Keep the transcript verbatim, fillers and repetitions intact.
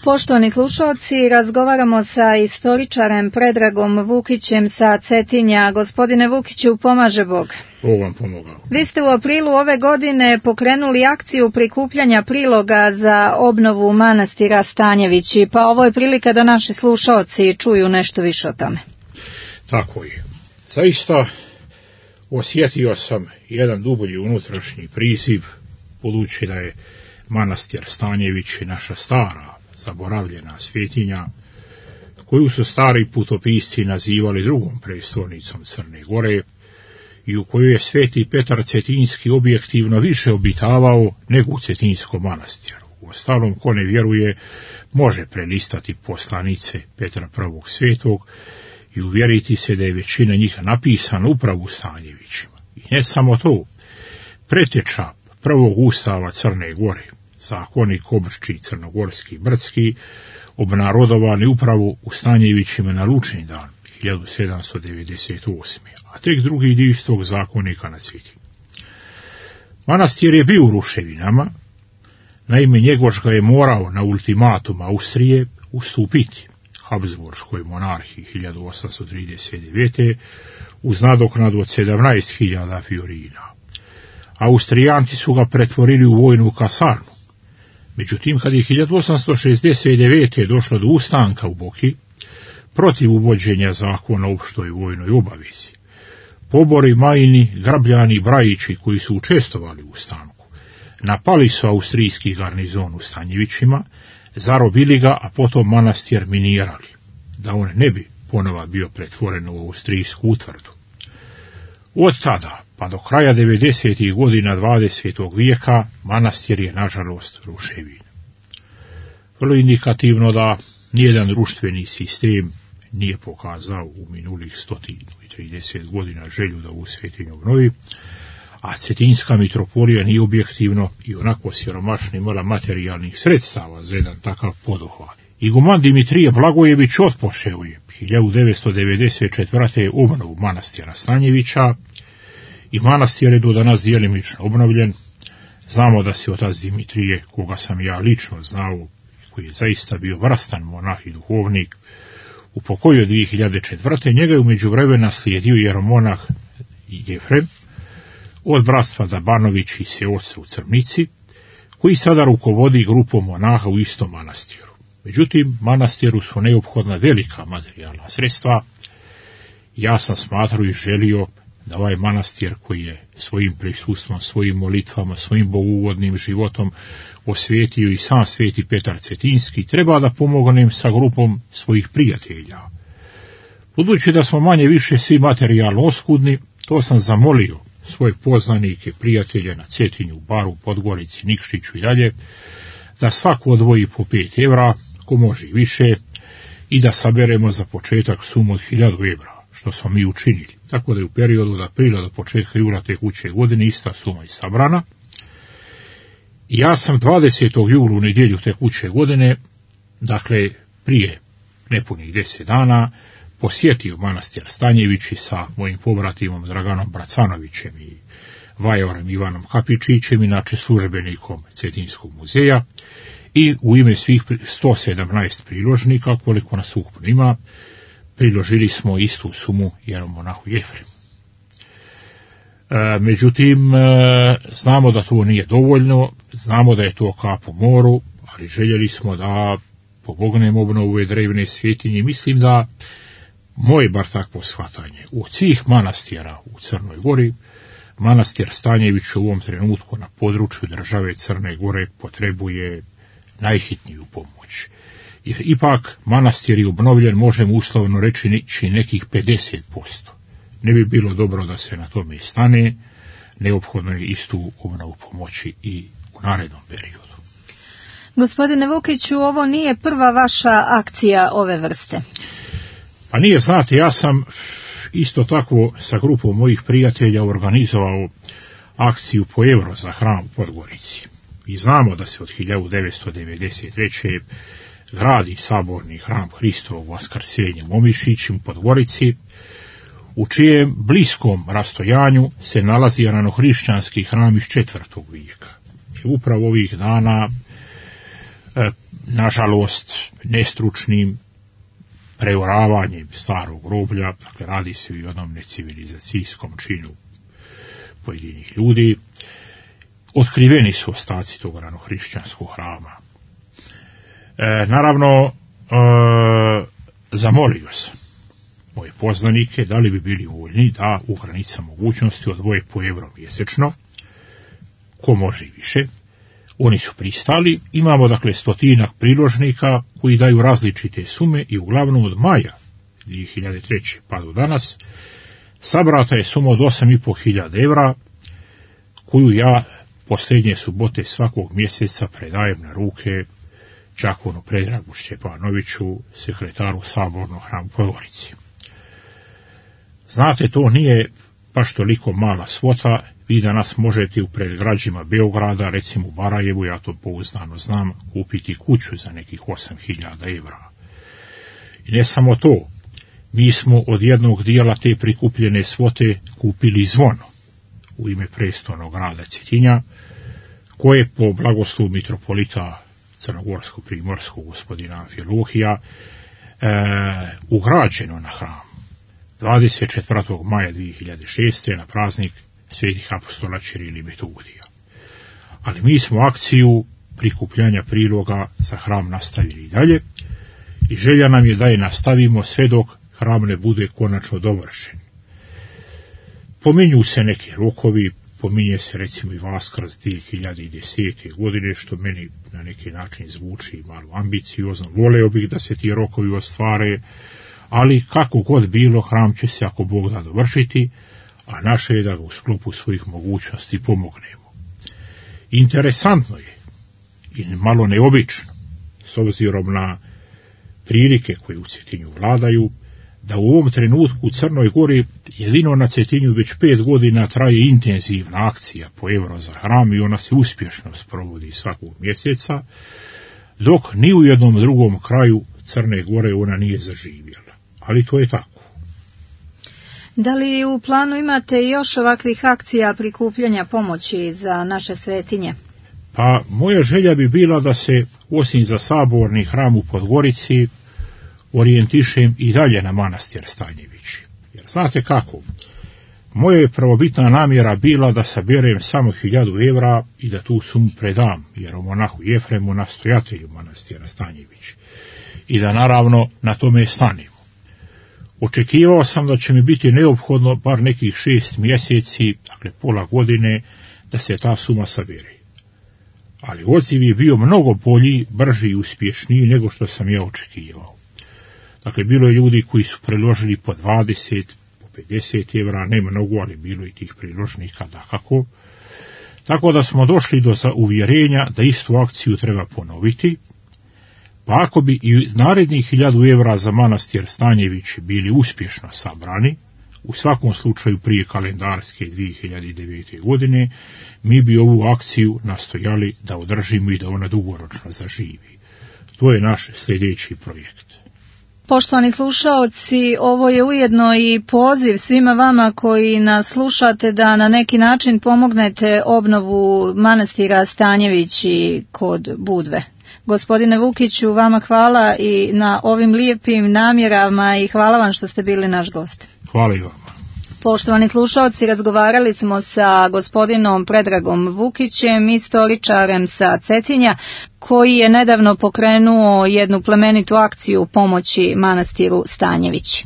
Poštovani slušalci, razgovaramo sa istoričarem Predragom Vukićem sa Cetinja. Gospodine Vukiću, pomaže Bog. Bog vam pomogao. Vi ste u aprilu ove godine pokrenuli akciju prikupljanja priloga za obnovu manastira Stanjevići, pa ovo je prilika da naši slušalci čuju nešto više o tome. Tako je. Zaista osjetio sam jedan dublji unutrašnji priziv, budući da je manastir Stanjevići naša stara, zaboravljena svetinja, koju su stari putopisci nazivali drugom prestolnicom Crne Gore i u kojoj je sveti Petar Cetinski objektivno više obitavao nego u Cetinskom manastiru. Uostalom, ko ne vjeruje, može prelistati poslanice Petra prvog Svetog i uvjeriti se da je većina njih napisana upravo u Stanjevićima. I ne samo to, preteča prvog ustava Crne Gore, zakonik Obršči crnogorski brdski, obnarodovani upravo u Stanjevićima na Lučni dan hiljadu sedamsto devedeset osme. a tek drugi dio istog zakonika na Cetinju. Manastir je bio u ruševinama, naime Njegoš ga je morao na ultimatum Austrije ustupiti Habsburškoj monarhiji hiljadu osamsto trideset devete uz nadoknadu od sedamnaest hiljada fiorina. Austrijanci su ga pretvorili u vojnu kasarnu. Međutim, kad je hiljadu osamsto šezdeset devete došlo do ustanka u Boki, protiv uvođenja zakona o opštoj vojnoj obavezi, pobori Majini, Grabljani i Brajići, koji su učestvovali u ustanku, napali su austrijski garnizon u Stanjevićima, zarobili ga, a potom manastir minirali, da on ne bi ponova bio pretvoren u austrijsku utvrdu. Od tada, pa do kraja devedesetih godina dvadesetog vijeka, manastir je, nažalost, ruševin. Vrlo indikativno da nijedan društveni sistem nije pokazao u minulih sto trideset godina želju da ovu svetinju obnovi, a Cetinska mitropolija nije objektivno i onako siromašna imala materijalnih sredstava za jedan takav poduhvat. Iguman Dimitrije Blagojević otpočeo je hiljadu devetsto devedeset četvrte obnovu manastira Stanjevića i manastir je do danas djelimično obnovljen. Znamo da se otac Dimitrije, koga sam ja lično znao, koji je zaista bio vrstan monah i duhovnik, upokojio dvije hiljade četvrte. Njega je u međuvremenu naslijedio jeromonah Jefrem od bratstva Dabanović i seoca u Crnici, koji sada rukovodi grupom monaha u istom manastiru. Međutim, manastiru su neophodna velika materijalna sredstva. Ja sam smatrao i želio da ovaj manastir, koji je svojim prisustvom, svojim molitvama, svojim bogugodnim životom osvetio i sam sveti Petar Cetinski, treba da pomognem sa grupom svojih prijatelja. Budući da smo manje više svi materijalno oskudni, to sam zamolio svoje poznanike, prijatelje na Cetinju, Baru, Podgorici, Nikšiću i dalje, da svako odvoji po pet evra, ko može i više, i da saberemo za početak sumu od hiljadu evra, što smo mi učinili. Tako da je u periodu od aprila do početka jula tekuće godine ista suma i sabrana. I ja sam dvadesetog jula u nedjelju tekuće godine, dakle prije nepunih deset dana, posjetio manastir Stanjevići sa mojim pobratimom Draganom Bracanovićem i Vajorem Ivanom Kapičićem, inače službenikom Cetinskog muzeja, i u ime svih sto sedamnaest priložnika, koliko nas ukupno ima, priložili smo istu sumu jeromonahu Jefremu. E, međutim, e, znamo da to nije dovoljno, znamo da je to kap u moru, ali željeli smo da pomognemo obnovu ove drevne svetinje. Mislim da moje bar takvo shvatanje, od svih manastira u Crnoj Gori, manastir Stanjević u ovom trenutku na području države Crne Gore potrebuje najhitniju pomoć. Jer ipak manastir je obnovljen, možemo uslovno reći, nekih pedeset posto. Ne bi bilo dobro da se na tome stane, neophodno je istu obnovu pomoći i u narednom periodu. Gospodine Vukiću, ovo nije prva vaša akcija ove vrste. Pa nije, znate, ja sam isto tako sa grupom mojih prijatelja organizovao akciju po euro za hram u Podgorici. I znamo da se od hiljadu devetsto devedeset treće gradi saborni hram Hristovog Vaskrsenja u Omišiću u Podgorici, u čijem bliskom rastojanju se nalazi ranohrišćanski hram iz četvrtog vijeka. I upravo ovih dana nažalost nestručnim preoravanjem starog groblja, dakle radi se i o jednom necivilizacijskom činu pojedinih ljudi, otkriveni su ostaci tog ranohrišćanskog hrama. E, naravno, e, zamolio sam moje poznanike da li bi bili voljni da u granicama mogućnosti odvoje po evro mjesečno, ko može i više. Oni su pristali. Imamo dakle stotinak priložnika koji daju različite sume i uglavnom od maja dvije hiljade treće pa do danas sabrata je suma od osam i po hiljada evra koju ja posljednje subote svakog mjeseca predajem na ruke đakonu Predragu Šćepanoviću, sekretaru Sabornog hrama u Podgorici. Znate, to nije baš toliko mala svota. Vi danas možete u predgrađima Beograda, recimo u Barajevu, ja to pouzdano znam, kupiti kuću za nekih osam hiljada evra. I ne samo to, mi smo od jednog dijela te prikupljene svote kupili zvono u ime prestolnog grada Cetinja, koje po blagoslovu mitropolita crnogorsko-primorskog gospodina Amfilohija e, ugrađeno na hram dvadeset četvrtog maja dvije hiljade šeste na praznik svetih apostola Ćirila i Metodija. Ali mi smo akciju prikupljanja priloga za hram nastavili i dalje i želja nam je da je nastavimo sve dok hram ne bude konačno dovršen. Pominju se neki rokovi, pominje se recimo i Vaskrs dvije hiljade desete. godine, što meni na neki način zvuči malo ambiciozno. Voleo bih da se ti rokovi ostvare, ali kako god bilo, hram će se ako Bog da dovršiti, a naše je da ga u sklopu svojih mogućnosti pomognemo. Interesantno je i malo neobično, s obzirom na prilike koje u Cetinju vladaju, da u ovom trenutku u Crnoj Gori jedino na Cetinju već pet godina traje intenzivna akcija po evro za hram i ona se uspješno sprovodi svakog mjeseca, dok ni u jednom drugom kraju Crne Gore ona nije zaživjela. Ali to je tako. Da li u planu imate još ovakvih akcija prikupljanja pomoći za naše svetinje? Pa moja želja bi bila da se, osim za saborni hram u Podgorici, orijentišem i dalje na manastir Stanjević. Jer znate kako, moja je prvobitna namjera bila da saberem samo hiljadu evra i da tu sumu predam, jer o monahu Jefremu, nastojatelju manastira Stanjević, i da naravno na tome stanemo. Očekivao sam da će mi biti neophodno bar nekih šest mjeseci, dakle pola godine, da se ta suma sabere. Ali odziv je bio mnogo bolji, brži i uspješniji nego što sam ja očekivao. Dakle, bilo je ljudi koji su priložili po dvadeset, po pedeset evra, ne mnogo, ali bilo i tih priložnika, dakako. Tako da smo došli do uvjerenja da istu akciju treba ponoviti, pa ako bi i narednih hiljadu evra za manastir Stanjević bili uspješno sabrani, u svakom slučaju prije kalendarske dvije hiljade devete. godine, mi bi ovu akciju nastojali da održimo i da ona dugoročno zaživi. To je naš sljedeći projekt. Poštovani slušaoci, ovo je ujedno i poziv svima vama koji nas slušate da na neki način pomognete obnovu manastira Stanjevići kod Budve. Gospodine Vukiću, vama hvala i na ovim lijepim namjerama i hvala vam što ste bili naš gost. Hvala i vama. Poštovani slušalci, razgovarali smo sa gospodinom Predragom Vukićem, istoričarem sa Cetinja, koji je nedavno pokrenuo jednu plemenitu akciju pomoći manastiru Stanjević.